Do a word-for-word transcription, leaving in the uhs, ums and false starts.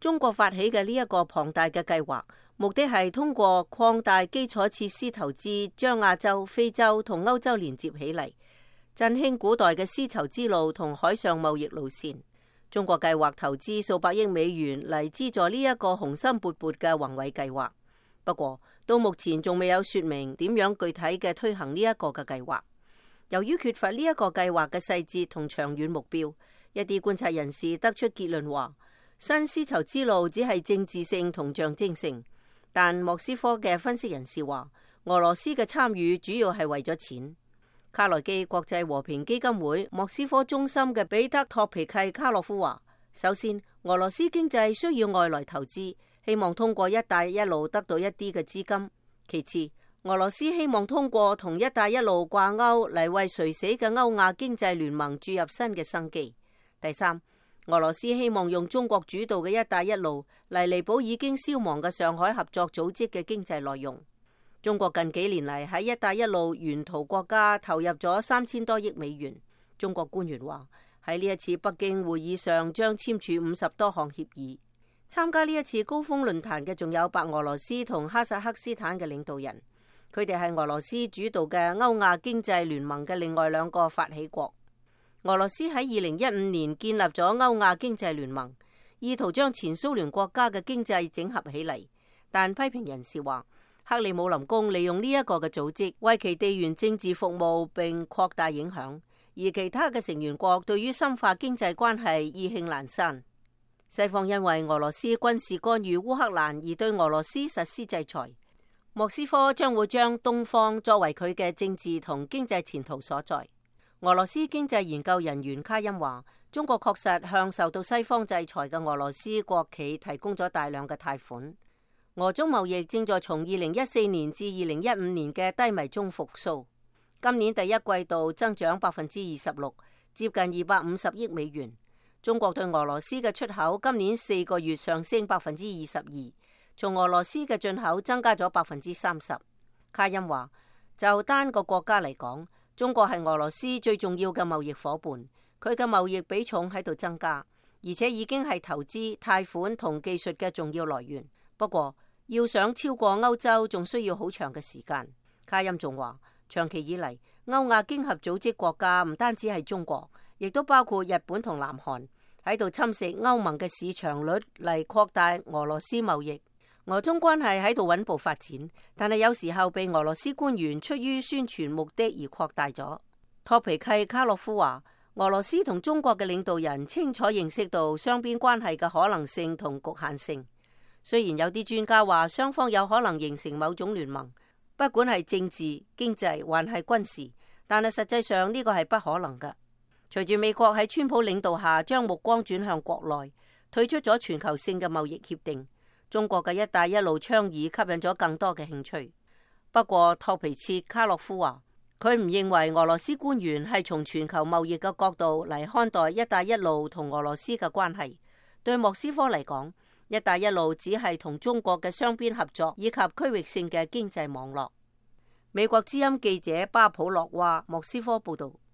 中國發起嘅呢一個龐大嘅計劃，目的係通過擴大基礎設施投資，將亞洲、非洲同歐洲連接起嚟，振興古代嘅絲綢之路同海上貿易路線。中國計劃投資數百億美元嚟資助呢一個雄心勃勃嘅宏偉計劃。不過到目前仲未有說明點樣具體嘅推行呢一個嘅計劃。由於缺乏呢一個計劃嘅細節同長遠目標，一啲觀察人士得出結論話，新絲綢之路只係政治性同象徵性。但莫斯科嘅分析人士話，俄羅斯嘅參與主要係為咗錢。卡內基國際和平基金會莫斯科中心嘅彼得托皮契卡洛夫話，首先，俄羅斯經濟需要外來投資，希望通過一帶一路得到一啲嘅資金。其次，俄羅斯希望通過同一帶一路掛鈎嚟為垂死嘅歐亞經濟聯盟注入新嘅生機。第三，俄羅斯希望用中國主導嘅一帶一路嚟彌補已經消亡嘅上海合作組織嘅經濟內容。中國近幾年嚟喺一帶一路沿途國家投入咗三千多億美元。中國官員話，喺呢一次北京會議上將簽署五十多項協議。參加呢一次高峰論壇嘅仲有白俄羅斯同哈薩克斯坦嘅領導人，佢哋係俄羅斯主導嘅歐亞經濟聯盟嘅另外兩個發起國。俄羅斯喺二零一五年建立咗歐亞經濟聯盟，意圖將前蘇聯國家嘅經濟整合起嚟。但批評人士話，克里姆林宮利用呢一個嘅組織為其地緣政治服務並擴大影響，而其他嘅成員國對於深化經濟關係意興闌珊。西方因為俄羅斯軍事干預烏克蘭而對俄羅斯實施制裁，莫斯科將會將東方作為佢嘅政治同經濟前途所在。俄羅斯經濟研究人員卡恩話，中國確實向受到西方制裁嘅俄羅斯國企提供咗大量嘅貸款。俄中貿易正在從二零一四年至二零一五年嘅低迷中復甦，今年第一季度增長百分之二十六，接近二百五十億美元。中國對俄羅斯嘅出口今年四個月上升百分之二十二，從俄羅斯嘅進口增加咗百分之三十。卡恩話，就單個國家嚟講，中國係俄羅斯最重要嘅貿易夥伴，佢嘅貿易比重喺度增加，而且已經係投資、貸款同技術嘅重要來源。不過，要想超過歐洲，仲需要好長嘅時間。卡恩仲話，長期以嚟，歐亞經合組織國家唔單止係中國，亦都包括日本同南韓，喺度侵蝕歐盟嘅市場率嚟擴大俄羅斯貿易。俄中關係喺度穩步發展，但係有時候被俄羅斯官員出於宣傳目的而擴大咗。托皮契卡洛夫話，俄羅斯同中國嘅領導人清楚認識到雙邊關係嘅可能性同局限性。雖然有啲專家話雙方有可能形成某種聯盟，不管係政治、經濟還係軍事，但係實際上呢個係不可能㗎。隨住美國喺川普領導下將目光轉向國內，退出咗全球性嘅貿易協定，中國嘅一帶一路倡議吸引咗更多嘅興趣。不過托皮切卡洛夫話，佢唔認為俄羅斯官員係從全球貿易嘅角度嚟看待一帶一路同俄羅斯嘅關係。對莫斯科嚟講，一帶一路只係同中國嘅雙邊合作以及區域性嘅經濟網絡。美國之音記者巴普洛話，莫斯科報道。